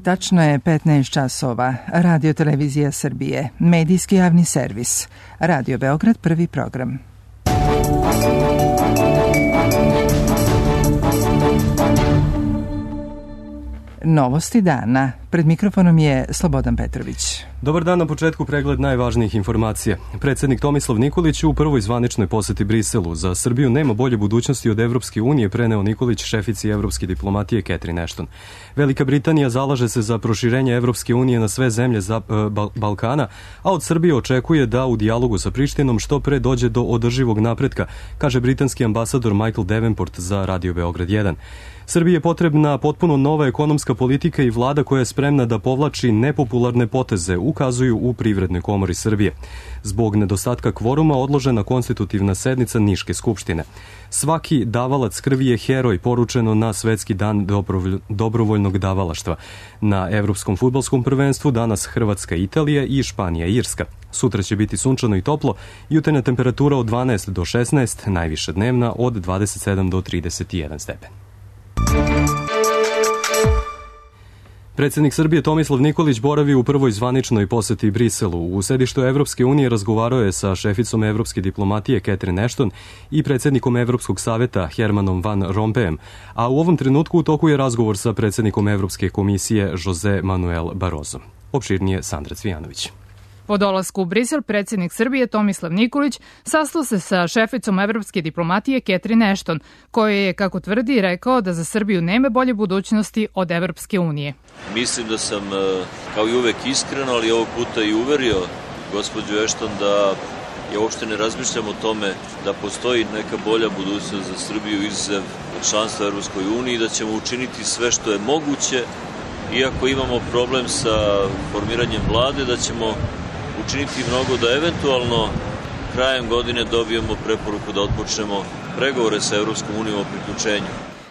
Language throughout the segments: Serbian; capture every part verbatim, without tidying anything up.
Tačno je petnaest časova. Radio Televizija Srbije, medijski javni servis. Radio Beograd, prvi program. Novosti dana. Pred mikrofonom je Slobodan Petrović. Dobar dan, na početku pregled najvažnijih informacija. Predsjednik Tomislav Nikolić u prvoj zvaničnoj poseti Briselu. Za Srbiju nema bolje budućnosti od Evropske unije, preneo Nikolić šefici evropske diplomatije Catherine Ashton. Velika Britanija zalaže se za proširenje Evropske unije na sve zemlje za, e, Bal- Balkana, a od Srbije očekuje da u dijalogu sa Prištinom što pre dođe do održivog napretka, kaže britanski ambasador Michael Davenport za Radio Beograd jedan. Srbiji je potrebna potpuno nova ekonomska politika i vlada koja je spremna da povlači nepopularne poteze, ukazuju u Privrednoj komori Srbije. Zbog nedostatka kvoruma odložena konstitutivna sednica Niške skupštine. Svaki davalac krvi je heroj, poručeno na Svetski dan dobrovoljnog davalaštva. Na Evropskom fudbalskom prvenstvu danas Hrvatska, Italija i Španija, Irska. Sutra će biti sunčano i toplo, jutarnja temperatura od dvanaest do šesnaest, najviša dnevna od dvadeset sedam do trideset jedan stepen. Predsjednik Srbije Tomislav Nikolić boravi u prvoj zvaničnoj poseti Briselu. U sedištu Evropske unije razgovarao je sa šeficom evropske diplomatije Catherine Ashton i predsjednikom Evropskog saveta Hermanom Van Rompuyem, a u ovom trenutku u toku je razgovor sa predsjednikom Evropske komisije Jose Manuel Barroso. Opširnije Sandra Cvijanović. Po dolasku u Brisel, predsjednik Srbije Tomislav Nikolić sastao se sa šeficom evropske diplomatije Catherine Ashton, koja je, kako tvrdi, rekao da za Srbiju nema bolje budućnosti od Evropske unije. Mislim da sam, kao i uvek, iskren, ali ovog puta i uverio gospođu Ashton da ja uopšte ne razmišljam o tome da postoji neka bolja budućnost za Srbiju izuzev članstva Evropskoj uniji, da ćemo učiniti sve što je moguće, iako imamo problem sa formiranjem vlade, da ćemo učiniti mnogo da eventualno krajem godine dobijemo preporuku da otpočnemo pregovore sa Evropskom unijom o priključenju.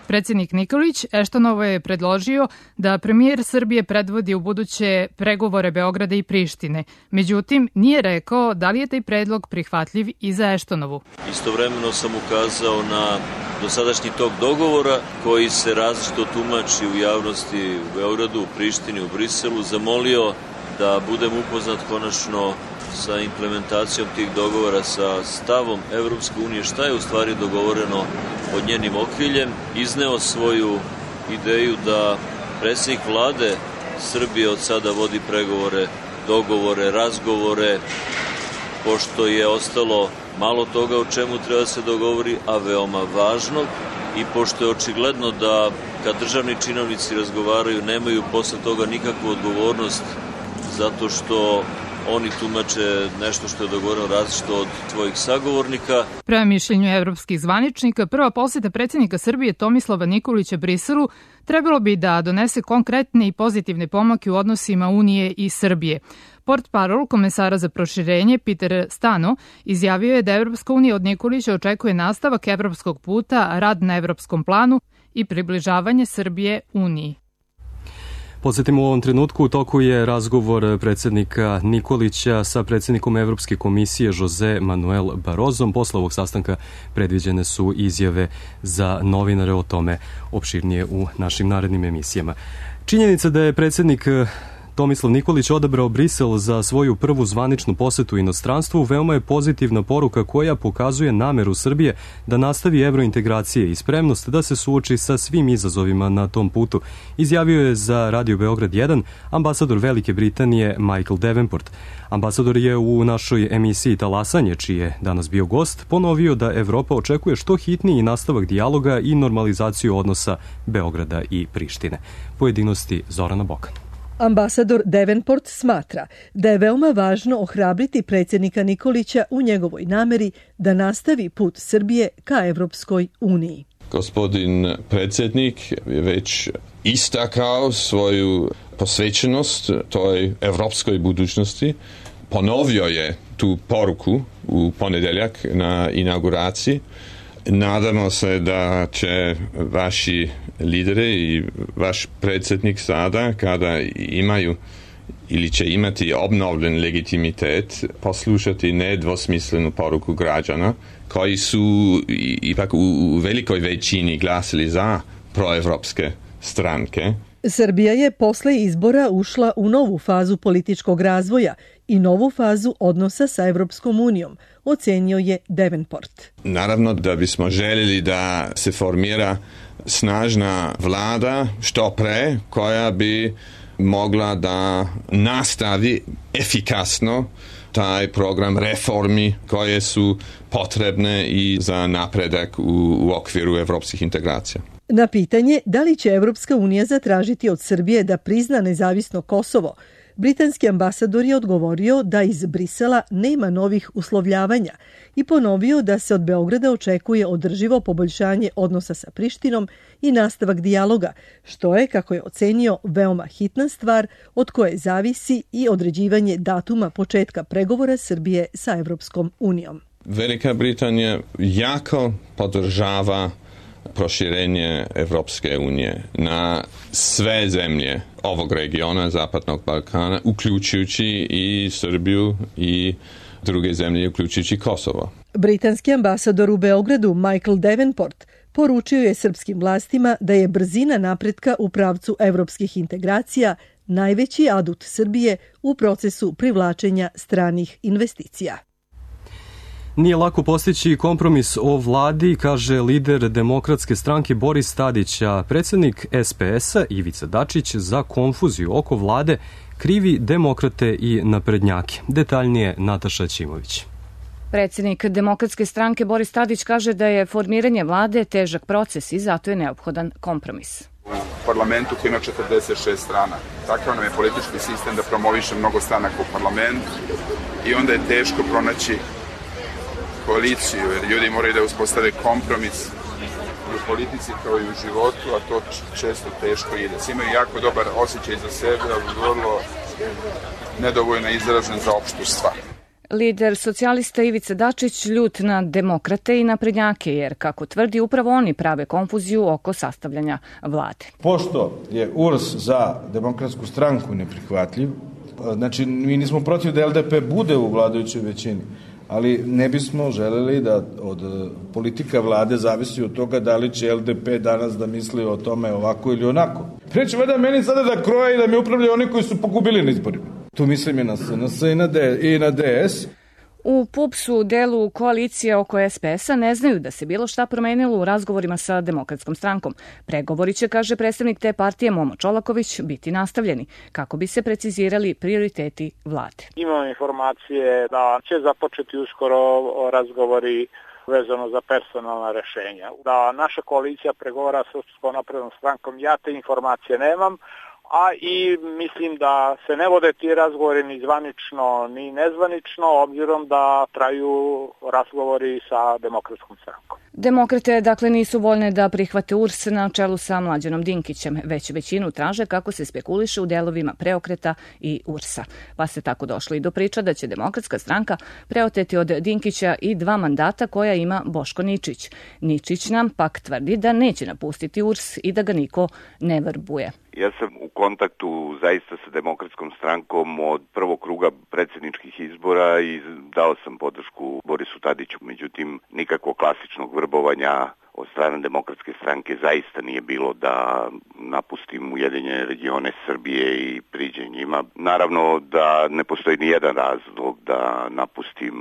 Predsjednik Nikolić Eštonovo je predložio da premijer Srbije predvodi u buduće pregovore Beograda i Prištine. Međutim, nije rekao da li je taj predlog prihvatljiv i za Eštonovu. Istovremeno sam ukazao na dosadašnji tok dogovora koji se različito tumači u javnosti u Beogradu, u Prištini, u Briselu, zamolio da budem upoznat konačno sa implementacijom tih dogovora, sa stavom Evropske unije, šta je u stvari dogovoreno pod njenim okriljem, izneo svoju ideju da predsjednik vlade Srbije od sada vodi pregovore, dogovore, razgovore, pošto je ostalo malo toga o čemu treba se dogovori, a veoma važno, i pošto je očigledno da kad državni činovnici razgovaraju nemaju posle toga nikakvu odgovornost zato što oni tumače nešto što je dogovoreno različito od svojih sagovornika. Prema mišljenju evropskih zvaničnika, prva poseta predsjednika Srbije Tomislava Nikolića Briselu trebalo bi da donese konkretne i pozitivne pomake u odnosima Unije i Srbije. Portparol komesara za proširenje Peter Stano izjavio je da Evropska unija od Nikolića očekuje nastavak evropskog puta, rad na evropskom planu i približavanje Srbije Uniji. Podsjetimo, u ovom trenutku u toku je razgovor predsjednika Nikolića sa predsjednikom Evropske komisije Jose Manuel Barrosom. Posle ovog sastanka predviđene su izjave za novinare, o tome opširnije u našim narednim emisijama. Činjenica da je predsjednik Tomislav Nikolić odabrao Brisel za svoju prvu zvaničnu posetu inostranstvu veoma je pozitivna poruka koja pokazuje nameru Srbije da nastavi evrointegracije i spremnost da se suoči sa svim izazovima na tom putu, izjavio je za Radio Beograd jedan ambasador Velike Britanije Michael Davenport. Ambasador je u našoj emisiji Talasanje, čiji je danas bio gost, ponovio da Evropa očekuje što hitniji nastavak dijaloga i normalizaciju odnosa Beograda i Prištine. Pojedinosti Zorana Bokan. Ambasador Davenport smatra da je veoma važno ohrabriti predsjednika Nikolića u njegovoj nameri da nastavi put Srbije ka Evropskoj uniji. Gospodin predsjednik je već istakao svoju posvećenost toj evropskoj budućnosti. Ponovio je tu poruku u ponedeljak na inauguraciji. Nadamo se da će vaši lideri i vaš predsjednik sada, kada imaju ili će imati obnovljen legitimitet, poslušati nedvosmislenu poruku građana koji su ipak u velikoj većini glasili za proevropske stranke Srbija je posle izbora ušla u novu fazu političkog razvoja i novu fazu odnosa sa Evropskom unijom, ocenio je Davenport. Naravno da bismo željeli da se formira snažna vlada što pre koja bi mogla da nastavi efikasno taj program reformi koje su potrebne i za napredak u, u okviru evropskih integracija. Na pitanje da li će Evropska unija zatražiti od Srbije da prizna nezavisno Kosovo, britanski ambasador je odgovorio da iz Brisela nema novih uslovljavanja i ponovio da se od Beograda očekuje održivo poboljšanje odnosa sa Prištinom i nastavak dijaloga, što je, kako je ocenio, veoma hitna stvar od koje zavisi i određivanje datuma početka pregovora Srbije sa Evropskom unijom. Velika Britanija jako podržava proširenje Evropske unije na sve zemlje ovog regiona, Zapadnog Balkana, uključujući i Srbiju i druge zemlje, uključujući Kosovo. Britanski ambasador u Beogradu Michael Davenport poručio je srpskim vlastima da je brzina napretka u pravcu evropskih integracija najveći adut Srbije u procesu privlačenja stranih investicija. Nije lako postići kompromis o vladi, kaže lider Demokratske stranke Boris Tadić, a predsjednik S P S-a Ivica Dačić za konfuziju oko vlade krivi demokrate i naprednjake. Detaljnije Nataša Ćimović. Predsjednik Demokratske stranke Boris Tadić kaže da je formiranje vlade težak proces i zato je neophodan kompromis. U parlamentu koji ima četrdeset šest strana. Takav nam je politički sistem da promoviše mnogo stranaka u parlamentu i onda je teško pronaći koaliciju, jer ljudi moraju da uspostave kompromis u politici kao i u životu, a to često teško ide. Svi imaju jako dobar osjećaj za sebe, ali vrlo nedovoljno izražen za opštu stvar. Lider socijalista Ivica Dačić ljut na demokrate i naprednjake, jer, kako tvrdi, upravo oni prave konfuziju oko sastavljanja vlade. Pošto je U R S za Demokratsku stranku neprihvatljiv, znači mi nismo protiv da L D P bude u vladajućoj većini, ali ne bismo želeli da od politika vlade zavisi od toga da li će L D P danas da misli o tome ovako ili onako. Preće vada meni sada da kroje i da mi upravljaju oni koji su pogubili na izborima. Tu mislim i na S N S i na, D, i na D S. U P U P S-u delu koalicije oko S P S-a ne znaju da se bilo šta promenilo u razgovorima sa Demokratskom strankom. Pregovori će, kaže predstavnik te partije Momo Čolaković, biti nastavljeni kako bi se precizirali prioriteti vlade. Imamo informacije da će započeti uskoro razgovori vezano za personalna rešenja. Da naša koalicija pregovara sa Srpskom naprednom strankom, ja te informacije nemam, a i mislim da se ne vode ti razgovori ni zvanično ni nezvanično, obzirom da traju razgovori sa Demokratskom strankom. Demokrate, dakle, nisu voljne da prihvate U R S na čelu sa Mlađanom Dinkićem, već većinu traže kako se spekuliše u delovima Preokreta i U R S-a. Pa se tako došlo i do priča da će Demokratska stranka preoteti od Dinkića i dva mandata koja ima Boško Ničić. Ničić nam pak tvrdi da neće napustiti U R S i da ga niko ne vrbuje. Ja sam u kontaktu zaista sa Demokratskom strankom od prvog kruga predsjedničkih izbora i dao sam podršku Borisu Tadiću, međutim nikakvog klasičnog vrbovanja od strane Demokratske stranke zaista nije bilo da napustim Ujedinjene regione Srbije i priđem njima. Naravno da ne postoji ni jedan razlog da napustim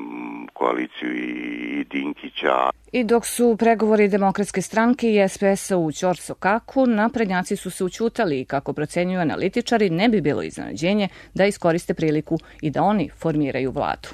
koaliciju i Dinkića. I dok su pregovori Demokratske stranke i S P S-a u ćorsokaku, naprednjaci su se ućutali i, kako procenjuju analitičari, ne bi bilo iznenađenje da iskoriste priliku i da oni formiraju vladu.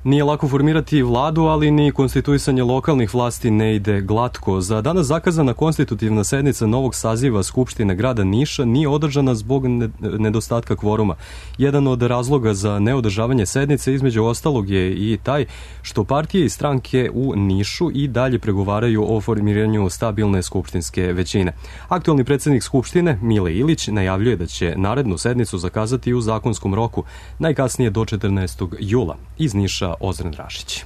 Nije lako formirati vladu, ali ni konstituisanje lokalnih vlasti ne ide glatko. Za danas zakazana konstitutivna sednica novog saziva Skupštine grada Niša nije održana zbog nedostatka kvoruma. Jedan od razloga za neodržavanje sednice između ostalog je i taj što partije i stranke u Nišu i dalje pregovaraju o formiranju stabilne skupštinske većine. Aktualni predsjednik Skupštine, Mile Ilić, najavljuje da će narednu sednicu zakazati u zakonskom roku, najkasnije do četrnaestog jula. Iz Niša Ozren Rašić.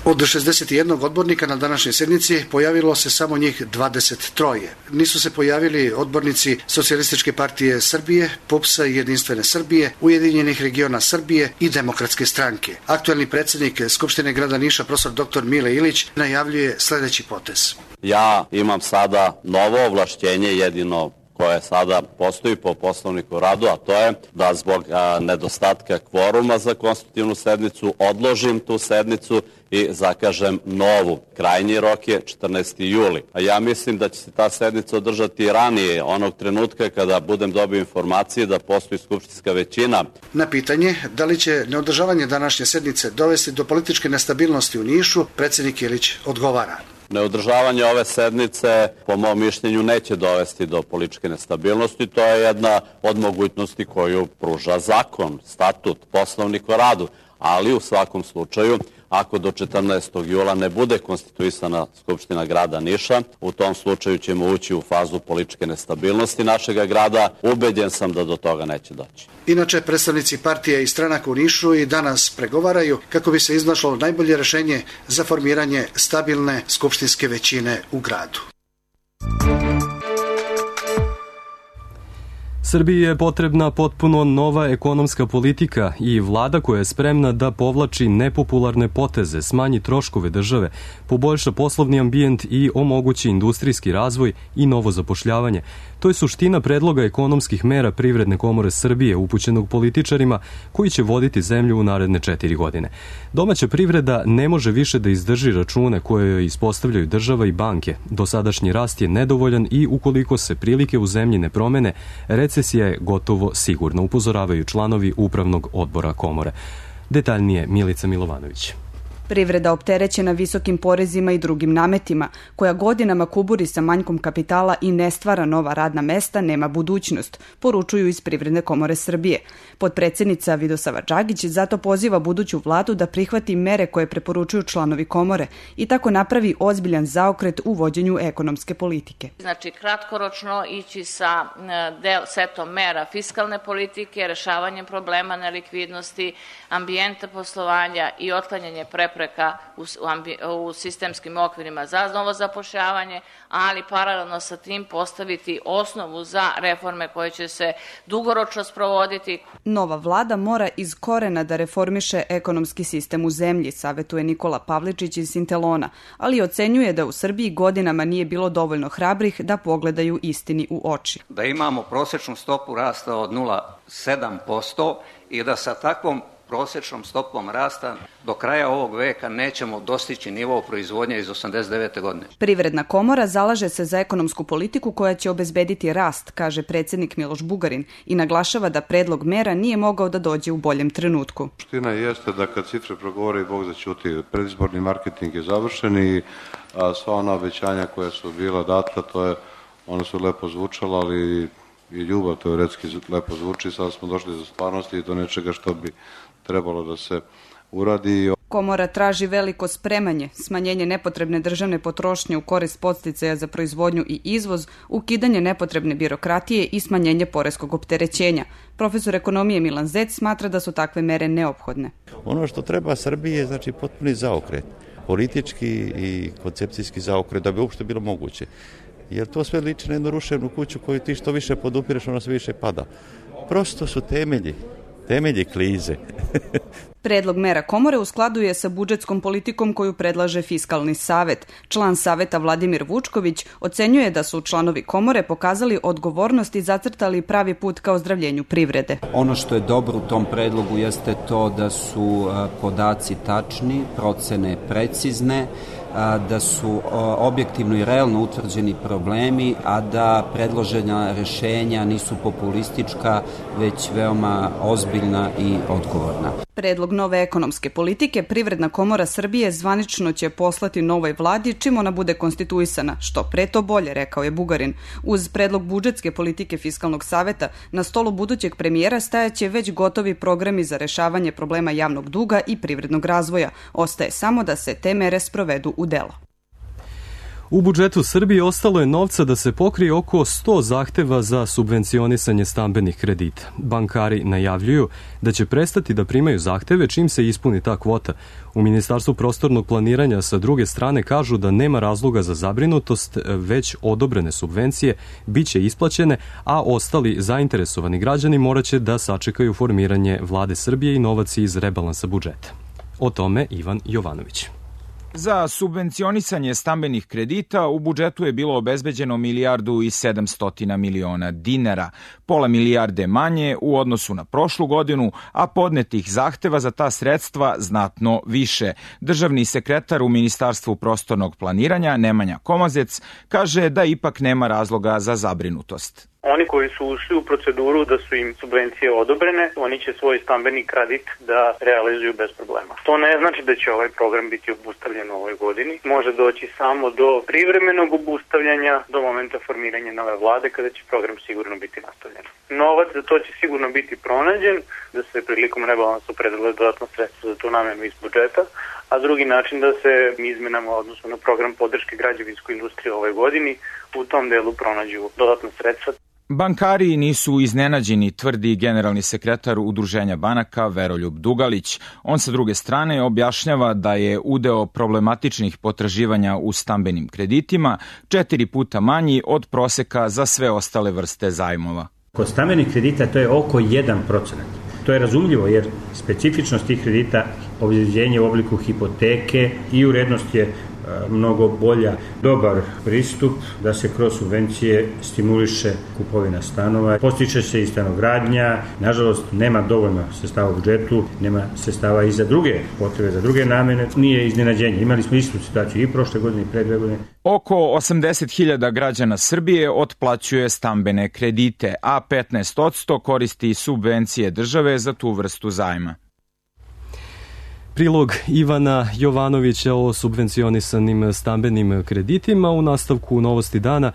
Od šezdeset jednog odbornika na današnjoj sednici pojavilo se samo njih dvadeset tri. Nisu se pojavili odbornici Socijalističke partije Srbije, P U P S-a i Jedinstvene Srbije, Ujedinjenih regiona Srbije i Demokratske stranke. Aktualni predsjednik Skupštine grada Niša, profesor doktor Mile Ilić, najavljuje sljedeći potez. Ja imam sada novo ovlašćenje jedino koja sada postoji po Poslovniku o radu, a to je da zbog a, nedostatka kvoruma za konstitutivnu sednicu odložim tu sednicu i zakažem novu. Krajnji rok je četrnaesti juli. A ja mislim da će se ta sednica održati ranije, onog trenutka kada budem dobio informacije da postoji skupštinska većina. Na pitanje da li će neodržavanje današnje sednice dovesti do političke nestabilnosti u Nišu, predsjednik Ilić odgovara. Neodržavanje ove sednice, po mom mišljenju, neće dovesti do političke nestabilnosti. To je jedna od mogućnosti koju pruža zakon, statut, Poslovnik o radu. Ali u svakom slučaju, ako do četrnaestog jula ne bude konstituisana Skupština grada Niša, u tom slučaju ćemo ući u fazu političke nestabilnosti našega grada. Ubeđen sam da do toga neće doći. Inače, predstavnici partije i stranaka u Nišu i danas pregovaraju kako bi se iznašlo najbolje rešenje za formiranje stabilne skupštinske većine u gradu. Srbiji je potrebna potpuno nova ekonomska politika i vlada koja je spremna da povlači nepopularne poteze, smanji troškove države, poboljša poslovni ambijent i omogući industrijski razvoj i novo zapošljavanje. To je suština predloga ekonomskih mera Privredne komore Srbije upućenog političarima koji će voditi zemlju u naredne četiri godine. Domaća privreda ne može više da izdrži račune koje joj ispostavljaju država i banke. Dosadašnji rast je nedovoljan i ukoliko se prilike u zemlji ne promene, recesija je gotovo sigurna, upozoravaju članovi Upravnog odbora komore. Detaljnije Milica Milovanović. Privreda opterećena visokim porezima i drugim nametima, koja godinama kuburi sa manjkom kapitala i ne stvara nova radna mesta, nema budućnost, poručuju iz Privredne komore Srbije. Potpredsjednica Vidosava Đagić zato poziva buduću vladu da prihvati mere koje preporučuju članovi komore i tako napravi ozbiljan zaokret u vođenju ekonomske politike. Znači, kratkoročno ići sa del, setom mera fiskalne politike, rešavanjem problema nelikvidnosti, ambijenta poslovanja i otklanjanje prepreka U, u sistemskim okvirima za novo zapošljavanje, ali paralelno sa tim postaviti osnovu za reforme koje će se dugoročno sprovoditi. Nova vlada mora iz korena da reformiše ekonomski sistem u zemlji, savetuje Nikola Pavličić iz Sintelona, ali ocenjuje da u Srbiji godinama nije bilo dovoljno hrabrih da pogledaju istini u oči. Da imamo prosečnu stopu rasta od nula zarez sedam posto i da sa takvom prosečnom stopom rasta do kraja ovog veka nećemo dostići nivo proizvodnje iz osamdeset devete godine. Privredna komora zalaže se za ekonomsku politiku koja će obezbediti rast, kaže predsjednik Miloš Bugarin i naglašava da predlog mera nije mogao da dođe u boljem trenutku. Suština jeste da kad cifre progovore i Bog zaćuti, predizborni marketing je završen i a, sva ona obećanja koja su bila data, to je, ona su lepo zvučala, ali i ljubav teoretski lepo zvuči, sad smo došli do stvarnosti i do nečega što bi trebalo da se uradi. Komora traži veliko spremanje, smanjenje nepotrebne državne potrošnje u korist podsticaja za proizvodnju i izvoz, ukidanje nepotrebne birokratije i smanjenje poreskog opterećenja. Profesor ekonomije Milan Zec smatra da su takve mere neophodne. Ono što treba Srbiji je znači potpuni zaokret, politički i koncepcijski zaokret da bi uopšte bilo moguće. Jer to sve liči na jednu ruševnu kuću koju ti što više podupireš, ona sve više pada. Prosto su temelji. Temelji klize. Predlog mera komore u skladu je sa budžetskom politikom koju predlaže Fiskalni savet. Član saveta Vladimir Vučković ocenjuje da su članovi komore pokazali odgovornost i zacrtali pravi put ka ozdravljenju privrede. Ono što je dobro u tom predlogu jeste to da su podaci tačni, procene precizne, da su objektivno i realno utvrđeni problemi, a da predložena rešenja nisu populistička, već veoma ozbiljna i odgovorna. Predlog nove ekonomske politike Privredna komora Srbije zvanično će poslati novoj vladi čim ona bude konstituisana, što pre to bolje, rekao je Bugarin. Uz predlog budžetske politike Fiskalnog saveta na stolu budućeg premijera stajaće već gotovi programi za rešavanje problema javnog duga i privrednog razvoja. Ostaje samo da se te mere sprovedu u delo. U budžetu Srbije ostalo je novca da se pokrije oko sto zahteva za subvencionisanje stambenih kredita. Bankari najavljuju da će prestati da primaju zahteve čim se ispuni ta kvota. U Ministarstvu prostornog planiranja sa druge strane kažu da nema razloga za zabrinutost, već odobrene subvencije biće isplaćene, a ostali zainteresovani građani moraće da sačekaju formiranje Vlade Srbije i novac iz rebalansa budžeta. O tome Ivan Jovanović. Za subvencionisanje stambenih kredita u budžetu je bilo obezbeđeno milijardu i sedamstotina miliona dinara, pola milijarde manje u odnosu na prošlu godinu, a podnetih zahteva za ta sredstva znatno više. Državni sekretar u Ministarstvu prostornog planiranja Nemanja Komazec kaže da ipak nema razloga za zabrinutost. Oni koji su ušli u proceduru da su im subvencije odobrene, oni će svoj stambeni kredit da realizuju bez problema. To ne znači da će ovaj program biti obustavljen u ovoj godini. Može doći samo do privremenog obustavljanja do momenta formiranja nove vlade kada će program sigurno biti nastavljen. Novac za to će sigurno biti pronađen, da se prilikom rebalansa opredele dodatno sredstva za tu namenu iz budžeta, a drugi način da se izmenama odnosno na program podrške građevinskoj industriji u ovoj godini u tom delu pronađu dodatna sredstva. Bankari nisu iznenađeni, tvrdi generalni sekretar Udruženja banaka Veroljub Dugalić. On sa druge strane objašnjava da je udeo problematičnih potraživanja u stambenim kreditima četiri puta manji od proseka za sve ostale vrste zajmova. Kod stambenih kredita to je oko jedan procenat. To je razumljivo jer specifičnost tih kredita, obezbeđenje u obliku hipoteke i urednost je mnogo bolja. Dobar pristup da se kroz subvencije stimuliše kupovina stanova, postiče se i stanogradnja. Nažalost, nema dovoljno sredstava u budžetu, nema sredstava i za druge potrebe, za druge namene. Nije iznenađenje. Imali smo istu situaciju i prošle godine i pre dve godine. Oko osamdeset hiljada građana Srbije otplaćuje stambene kredite, a petnaest posto koristi subvencije države za tu vrstu zajma. Prilog Ivana Jovanovića o subvencionisanim stambenim kreditima. U nastavku Novosti dana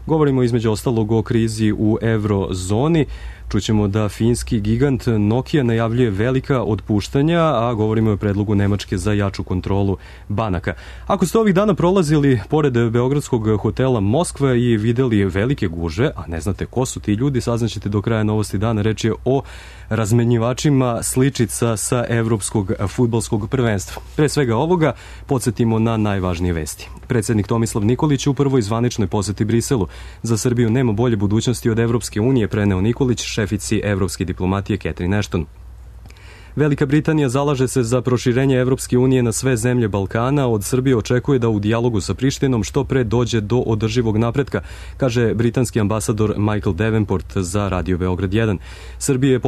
govorimo između ostalog o krizi u eurozoni. Čućemo da finski gigant Nokia najavljuje velika otpuštanja, a govorimo o predlogu Nemačke za jaču kontrolu banaka. Ako ste ovih dana prolazili pored beogradskog hotela Moskva i videli velike guže, a ne znate ko su ti ljudi, saznaćete do kraja Novosti dana. Reč je o razmenjivačima sličica sa evropskog fudbalskog prvenstva. Pre svega ovoga podsjetimo na najvažnije vesti. Predsednik Tomislav Nikolić u prvoj zvaničnoj poseti Briselu. Za Srbiju nema bolje budućnosti od Evropske unije, preneo Nikolić šefici evropske diplomatije Catherine Ashton. Velika Britanija zalaže se za proširenje Evropske unije na sve zemlje Balkana. Od Srbije očekuje da u dijalogu sa Prištinom što pre dođe do održivog napretka, kaže britanski ambasador Michael Davenport za Radio Beograd jedan. Srbiji je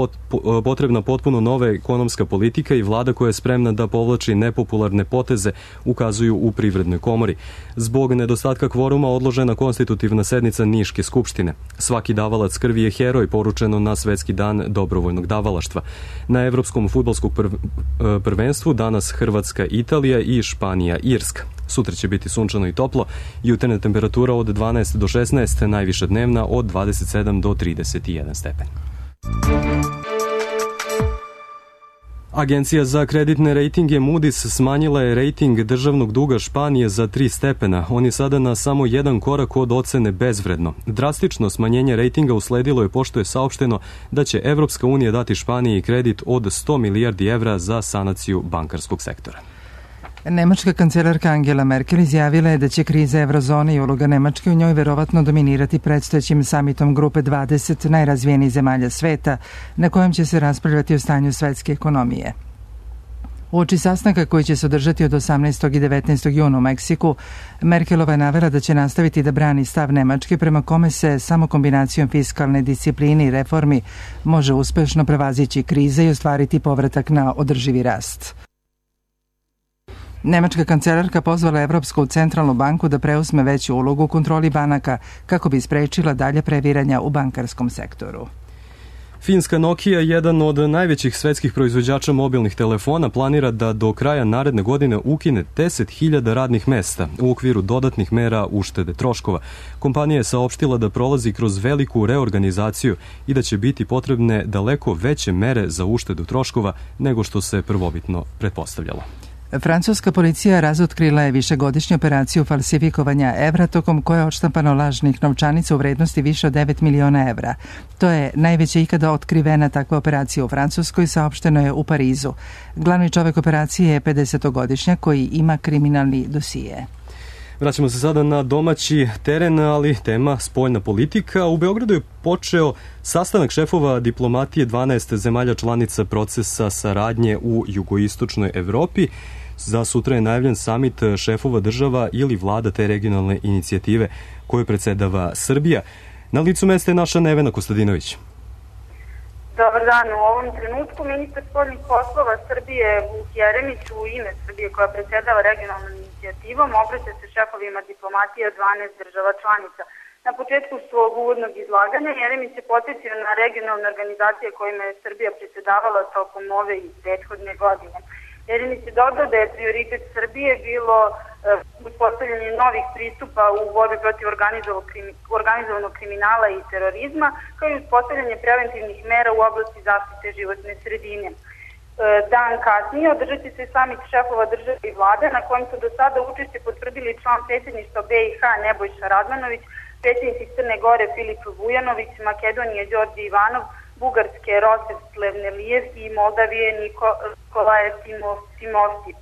potrebna potpuno nova ekonomska politika i vlada koja je spremna da povlači nepopularne poteze, ukazuju u Privrednoj komori. Zbog nedostatka kvoruma odložena konstitutivna sednica Niške skupštine. Svaki davalac krvi je heroj, poručeno na Svetski dan dobrovoljnog davalaštva. Na Evropskom fudbalskog prvenstvu danas Hrvatska, Italija i Španija, Irska. Sutra će biti sunčano i toplo, jutarnja temperatura od dvanaest do šesnaest, najviša dnevna od dvadeset sedam do trideset jedan stepen. Agencija za kreditne rejtinge Moody's smanjila je rejting državnog duga Španije za tri stepena. On je sada na samo jedan korak od ocene bezvredno. Drastično smanjenje rejtinga usledilo je pošto je saopšteno da će Evropska unija dati Španiji kredit od sto milijardi evra za sanaciju bankarskog sektora. Nemačka kancelarka Angela Merkel izjavila je da će kriza eurozone i uloga Nemačke u njoj verovatno dominirati predstojećim samitom grupe dvadeset najrazvijenijih zemalja sveta, na kojem će se raspravljati o stanju svetske ekonomije. Uoči sastanka koji će se održati od osamnaestog i devetnaestog juna u Meksiku, Merkelova je navela da će nastaviti da brani stav Nemačke prema kome se samo kombinacijom fiskalne discipline i reformi može uspešno prevazići krize i ostvariti povratak na održivi rast. Nemačka kancelarka pozvala Evropsku centralnu banku da preuzme veću ulogu u kontroli banaka kako bi sprečila dalje previranja u bankarskom sektoru. Finska Nokia, jedan od najvećih svetskih proizvođača mobilnih telefona, planira da do kraja naredne godine ukine deset hiljada radnih mesta u okviru dodatnih mera uštede troškova. Kompanija je saopštila da prolazi kroz veliku reorganizaciju i da će biti potrebne daleko veće mere za uštedu troškova nego što se prvobitno pretpostavljalo. Francuska policija razotkrila je višegodišnju operaciju falsifikovanja evra tokom koje je odštampano lažnih novčanica u vrednosti više od devet miliona evra. To je najveća ikada otkrivena takva operacija u Francuskoj, saopšteno je u Parizu. Glavni čovek operacije je pedesetogodišnjak koji ima kriminalni dosije. Vraćamo se sada na domaći teren, ali tema spoljna politika. U Beogradu je počeo sastanak šefova diplomatije dvanaest zemalja članica procesa saradnje u jugoistočnoj Evropi. Za sutra je najavljen samit šefova država ili vlada te regionalne inicijative koju predsedava Srbija. Na licu mesta je naša Nevena Kostadinović. Dobar dan. U ovom trenutku ministar spoljnih poslova Srbije Vuk Jeremić u ime Srbije koja predsedava regionalnom inicijativom obraća se šefovima diplomatije dvanaest država članica. Na početku svog uvodnog izlaganja Jeremić se podsjetio na regionalne organizacije kojima je Srbija predsedavala tokom ove i prethodne godine. Jeremić je dodao da je prioritet Srbije bilo uspostavljanje novih pristupa u borbi protiv organizovanog kriminala i terorizma, kao i uspostavljanje preventivnih mera u oblasti zaštite životne sredine. Dan kasnije održat će se samit šefova države i vlade na kojem su do sada učešće potvrdili član predsjedništva B i H Nebojša Radmanović, predsjednici Crne Gore Filip Vujanović, Makedonije Đorđe Ivanov, Bugarske Rosef Plevnelijev i Moldavije Nikolaje Timovski.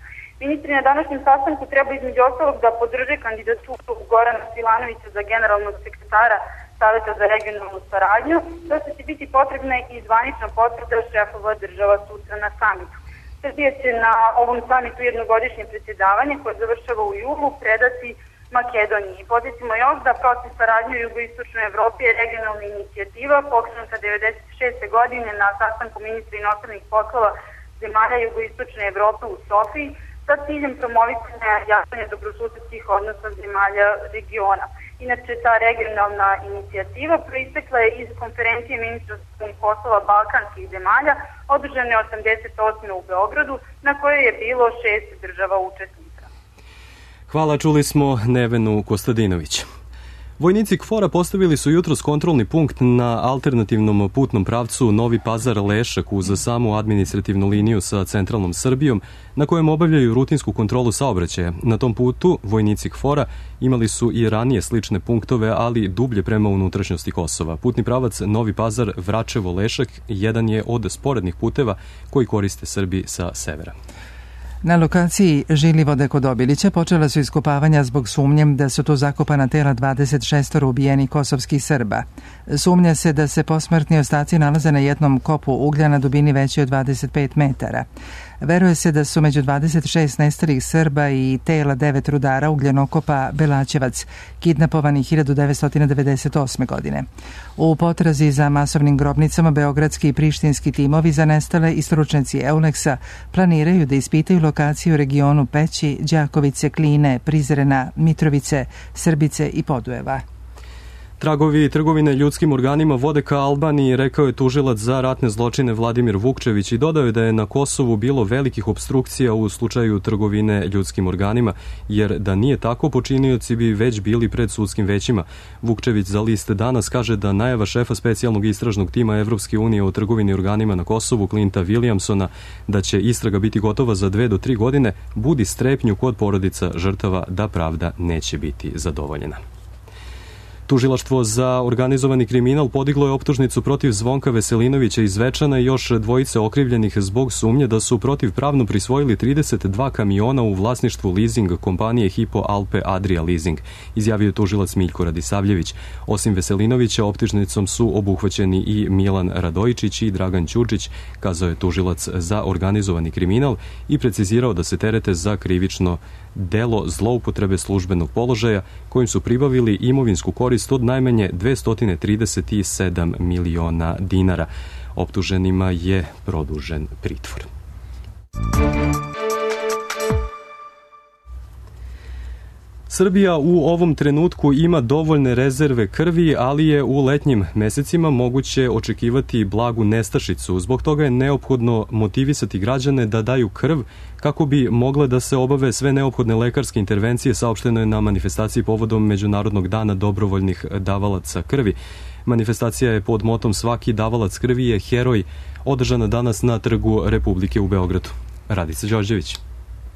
Ministri na današnjem sastanku treba između ostalog da podrže kandidaturu Gorana Svilanovića za generalnog sekretara Saveta za regionalnu saradnju, to što će biti potrebna i zvanična potvrda šefova država sutra na samitu. Srbija će na ovom samitu jednogodišnje predsjedavanje koje završava u julu predati Makedoniji. Podsjetimo još da proces saradnje u jugoistočnoj Evropi je regionalna inicijativa pokrenuta devedeset šeste godine na sastanku ministra inostranih poslova zemalja jugoistočne Evrope u Sofiji sa ciljem promovisanja jačanja dobrosusedskih odnosa zemalja regiona. Inače, ta regionalna inicijativa proistekla je iz konferencije ministra spoljnih poslova balkanskih zemalja održane osamdeset osme u Beogradu, na kojoj je bilo šest država učesnika. Hvala, čuli smo Nevenu Kostadinović. Vojnici K F O R-a postavili su jutros kontrolni punkt na alternativnom putnom pravcu Novi Pazar-Lešak uz samu administrativnu liniju sa centralnom Srbijom, na kojem obavljaju rutinsku kontrolu saobraćaja. Na tom putu vojnici K F O R-a imali su i ranije slične punktove, ali dublje prema unutrašnjosti Kosova. Putni pravac Novi Pazar-Vračevo-Lešak jedan je od sporednih puteva koji koriste Srbi sa severa. Na lokaciji Žilivode kod Obilića počela su iskopavanja zbog sumnjem da su tu zakopana tela dvadeset šest ubijenih kosovskih Srba. Sumnja se da se posmrtni ostaci nalaze na jednom kopu uglja na dubini većoj od dvadeset pet metara. Veruje se da su među dvadeset šest nestalih Srba i tela devet rudara ugljenokopa Belačevac, kidnapovani hiljadu devetsto devedeset osme. godine. U potrazi za masovnim grobnicama beogradski i prištinski timovi za nestale i stručnjaci Euleksa planiraju da ispitaju lokaciju u regionu Peći, Đakovice, Kline, Prizrena, Mitrovice, Srbice i Podujeva. Tragovi trgovine ljudskim organima vode ka Albaniji, rekao je tužilac za ratne zločine Vladimir Vukčević i dodao je da je na Kosovu bilo velikih opstrukcija u slučaju trgovine ljudskim organima, jer da nije tako počinioci bi već bili pred sudskim većima. Vukčević za list Danas kaže da najava šefa specijalnog istražnog tima Evropske unije o trgovini organima na Kosovu, Clinta Williamsona, da će istraga biti gotova za dve do tri godine, budi strepnju kod porodica žrtava da pravda neće biti zadovoljena. Tužilaštvo za organizovani kriminal podiglo je optužnicu protiv Zvonka Veselinovića iz Zvečana i još dvojice okrivljenih zbog sumnje da su protivpravno prisvojili trideset dva kamiona u vlasništvu leasing kompanije Hypo Alpe Adria Leasing, izjavio je tužilac Miljko Radisavljević. Osim Veselinovića, optužnicom su obuhvaćeni i Milan Radojičić i Dragan Ćurčić, kazao je tužilac za organizovani kriminal i precizirao da se terete za krivično delo zloupotrebe službenog položaja kojim su pribavili imovinsku korist od najmanje dvesta trideset sedam miliona dinara. Optuženima je produžen pritvor. Srbija u ovom trenutku ima dovoljne rezerve krvi, ali je u letnjim mesecima moguće očekivati blagu nestašicu. Zbog toga je neophodno motivisati građane da daju krv kako bi mogle da se obave sve neophodne lekarske intervencije, saopšteno je na manifestaciji povodom Međunarodnog dana dobrovoljnih davalaca krvi. Manifestacija je pod motom Svaki davalac krvi je heroj, održana danas na Trgu Republike u Beogradu. Radica Đorđević.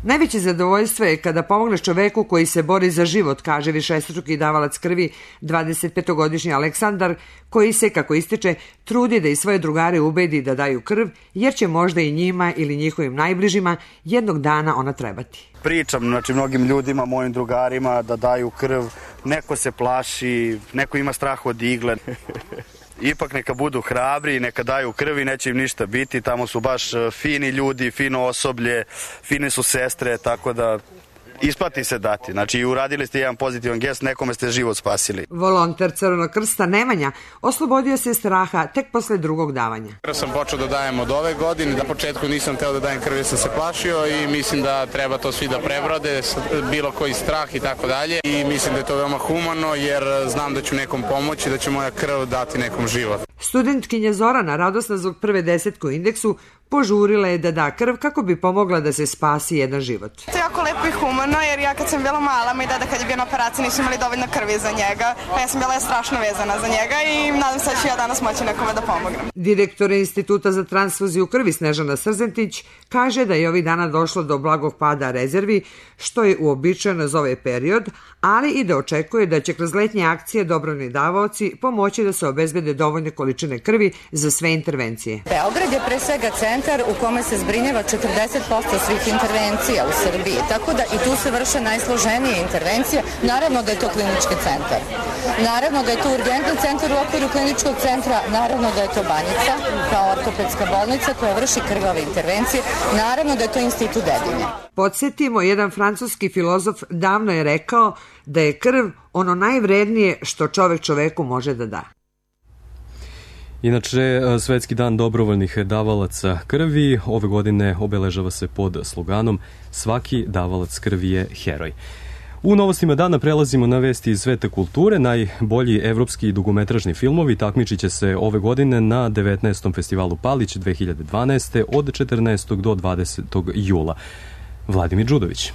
Najveće zadovoljstvo je kada pomogneš čoveku koji se bori za život, kaže višestruki davalac krvi, dvadesetpetogodišnji Aleksandar, koji se, kako ističe, trudi da i svoje drugare ubedi da daju krv, jer će možda i njima ili njihovim najbližima jednog dana ona trebati. Pričam, znači, mnogim ljudima, mojim drugarima da daju krv, neko se plaši, neko ima strah od igle. Ipak neka budu hrabri, neka daju krvi, neće im ništa biti. Tamo su baš fini ljudi, fino osoblje, fine su sestre, tako da isplati se dati. Znači, uradili ste jedan pozitivan gest, nekome ste život spasili. Volonter Crvenog krsta Nemanja oslobodio se straha tek posle drugog davanja. Ja sam počeo da dajem od ove godine, da početku nisam teo da dajem krvi, sam se plašio i mislim da treba to svi da prebrode, bilo koji strah i tako dalje. I mislim da je to veoma humano jer znam da ću nekom pomoći, da će moja krv dati nekom život. Studentkinja Zorana, radosna zbog prve desetke u indeksu, požurila je da da krv kako bi pomogla da se spasi jedan život. To je jako lepo i humano jer ja kad sam bila mala, moj deda kad je bio na operaciji nisu imali dovoljno krvi za njega, pa ja sam bila strašno vezana za njega i nadam se da ću ja danas moći nekome da pomognem. Direktor Instituta za transfuziju krvi Snežana Srzentić kaže da je ovih dana došlo do blagog pada rezervi, što je uobičajeno za ovaj period, ali i da očekuje da će kroz letnje akcije dobrovoljni davaoci pomoći da se obezbede dovoljne količine krvi za sve intervencije. Beograd je pre svega centar u kome se zbrinjava četrdeset posto svih intervencija u Srbiji, tako da i tu se vrše najsloženije intervencije. Naravno da je to klinički centar. Naravno da je to urgentni centar u okviru kliničkog centra, naravno da je to Banjica kao ortopedska bolnica koja vrši krvave intervencije, naravno da je to Institut Dedinja. Podsjetimo, jedan francuski filozof davno je rekao da je krv ono najvrednije što čovek čoveku može da da. Inače, Svetski dan dobrovoljnih davalaca krvi ove godine obeležava se pod sloganom Svaki davalac krvi je heroj. U novostima dana prelazimo na vesti iz sveta kulture. Najbolji evropski dugometražni filmovi takmičit će se ove godine na devetnaestom festivalu Palić dve hiljade dvanaeste. od četrnaestog do dvadesetog jula. Vladimir Đudović.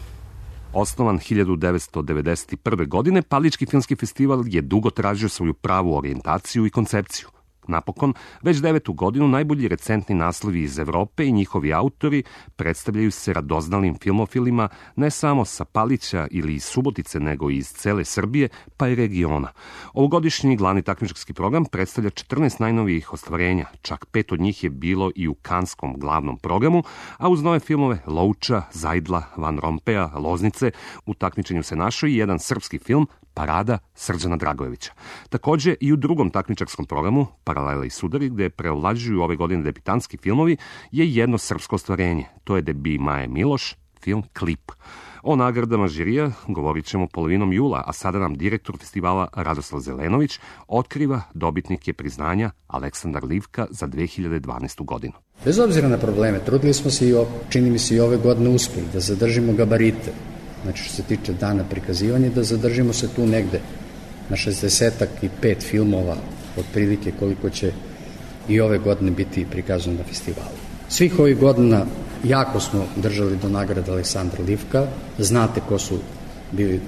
Osnovan hiljadu devetsto devedeset prve. godine, Palički filmski festival je dugo tražio svoju pravu orijentaciju i koncepciju. Napokon, već devetu godinu najbolji recentni naslovi iz Evrope i njihovi autori predstavljaju se radoznalim filmofilima ne samo sa Palića ili iz Subotice, nego i iz cele Srbije, pa i regiona. Ovogodišnji glavni takmičarski program predstavlja četrnaest najnovijih ostvarenja, čak pet od njih je bilo i u kanskom glavnom programu, a uz nove filmove Lovča, Zajdla, Van Rompeja, Loznice, u takmičenju se našao i jedan srpski film Parada Srđana Dragojevića. Takođe i u drugom takmičarskom programu Paralela i sudari, gde preovlađuju ove godine debitanski filmovi, je jedno srpsko ostvarenje. To je debi Maje Miloš, film Klip. O nagradama žirija govorit ćemo polovinom jula, a sada nam direktor festivala Radoslav Zelenović otkriva dobitnike priznanja Aleksandar Livka za dve hiljade dvanaestu. godinu. Bez obzira na probleme, trudili smo se i, čini mi se, i ove godine uspeli da zadržimo gabarite. Znači, što se tiče dana prikazivanja, da zadržimo se tu negde na šezdeset pet filmova, otprilike koliko će i ove godine biti prikazano na festivalu. Svih ovih godina jako smo držali do nagrada Aleksandra Livka. Znate ko su bili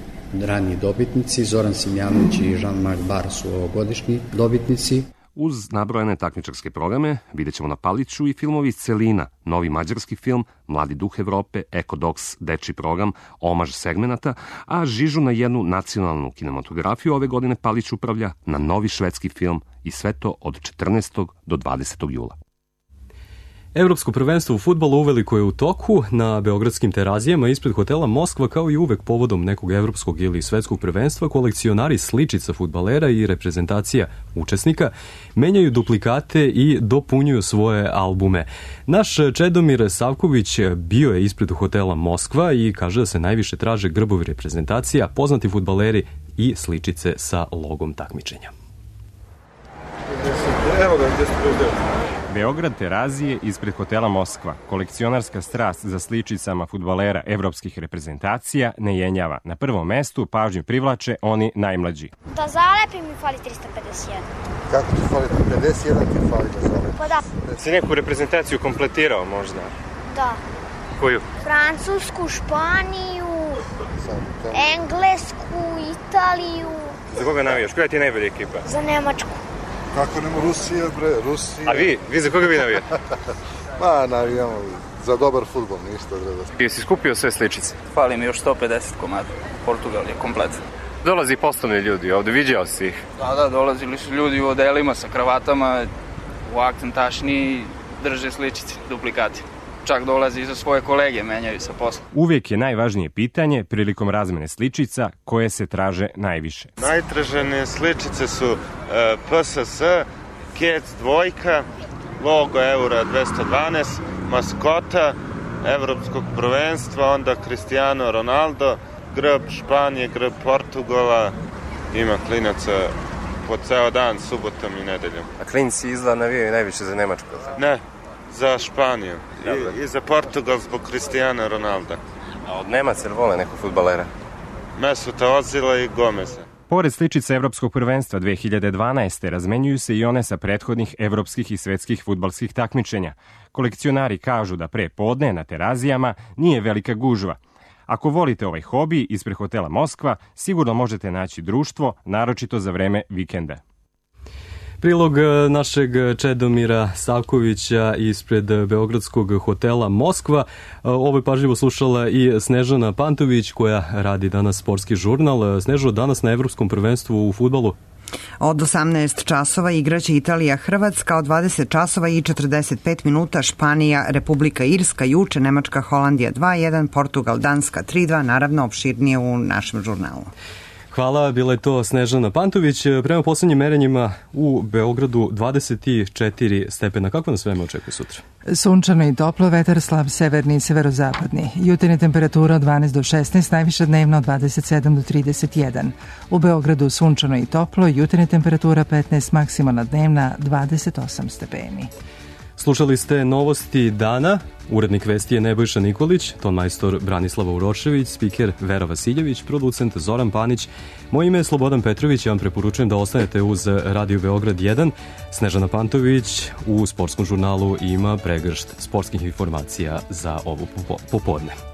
raniji dobitnici. Zoran Simjanović i Jean-Marc Barr su ovogodišnji dobitnici. Uz nabrojane takmičarske programe vidjet ćemo na Paliću i filmovi iz celina, novi mađarski film, Mladi duh Evrope, Ekodoks, dečiji program, omaž segmenata, a žižu na jednu nacionalnu kinematografiju ove godine Palić upravlja na novi švedski film i sve to od četrnaestog do dvadesetog jula. Evropsko prvenstvo u fudbalu uveliko je u toku na beogradskim Terazijama ispred hotela Moskva, kao i uvek povodom nekog evropskog ili svetskog prvenstva. Kolekcionari sličica fudbalera i reprezentacija učesnika menjaju duplikate i dopunjuju svoje albume. Naš Čedomir Savković bio je ispred hotela Moskva i kaže da se najviše traže grbovi reprezentacija, poznati fudbaleri i sličice sa logom takmičenja. Evo ga, gdje ste Beograd Terazije ispred hotela Moskva. Kolekcionarska strast za sličicama fudbalera evropskih reprezentacija ne jenjava. Na prvom mestu pažnju privlače oni najmlađi. Da zalepim mi fali trista pedeset jedan. Kako ti fali? pedeset jedan ti fali da zalepim. Pa da. Si neku reprezentaciju kompletirao možda? Da. Koju? Francusku, Španiju, Englesku, Italiju. Za koga navijaš? Koja ti je najbolja ekipa? Za Nemačku. Kako nema Rusija, bre, Rusija. A vi? Vi za koga vi navijate? Ma, navijamo za dobar fudbal, ništa drugo. Jesi skupio sve sličice? Fali mi još sto pedeset komada. Portugal je komplet. Dolazi poslovni ljudi ovde, viđao si ih? Da, da, dolazili su ljudi u odelima sa kravatama, u akcentašni, drže sličice, duplikati. Čak dolazi i za svoje kolege, menjaju sa posla. Uvijek je najvažnije pitanje prilikom razmene sličica koje se traže najviše. Najtražene sličice su uh, P S S, Kec dvojka, logo Eura dvesta dvanaest, maskota evropskog prvenstva, onda Cristiano Ronaldo, grb Španije, grb Portugala, ima klinaca po ceo dan, subotom i nedeljom. A klinci izgleda navijaju najviše za Nemačku? Ne, za Španiju I, i za Portugal zbog Cristiano Ronalda. A od Nemaca ili vole nekog fudbalera? Mesuta Ozila I Gomeza. Pored sličica Evropskog prvenstva dve hiljade dvanaeste razmenjuju se i one sa prethodnih evropskih i svetskih fudbalskih takmičenja. Kolekcionari kažu da pre podne na terazijama nije velika gužva. Ako volite ovaj hobi, ispred hotela Moskva sigurno možete naći društvo, naročito za vreme vikenda. Prilog našeg Čedomira Savkovića ispred beogradskog hotela Moskva. Ovo je pažljivo slušala i Snežana Pantović koja radi danas sportski žurnal. Snežo, danas na Evropskom prvenstvu u fudbalu? Od osamnaest časova igraće Italija-Hrvatska, od dvadeset časova I četrdeset pet minuta Španija-Republika Irska, juče Nemačka-Holandija dva jedan, Portugal-Danska tri dva, naravno opširnije u našem žurnalu. Hvala, bila je to Snežana Pantović. Prema poslednjim merenjima u Beogradu dvadeset četiri stepena. Kako nas vreme očekuje sutra? Sunčano I toplo, vetar slab severni I severozapadni. Jutarnja temperatura od dvanaest do šesnaest, najviša dnevna od dvadeset sedam do trideset jedan. U Beogradu sunčano I toplo, jutarnja temperatura petnaest, maksimalna dnevna dvadeset osam stepeni. Slušali ste novosti dana, urednik vesti je Nebojša Nikolić, tonmajstor Branislava Urošević, spiker Vera Vasiljević, producent Zoran Panić. Moje ime je Slobodan Petrović, ja vam preporučujem da ostanete uz Radio Beograd jedan. Snežana Pantović u sportskom žurnalu ima pregršt sportskih informacija za ovo popodne.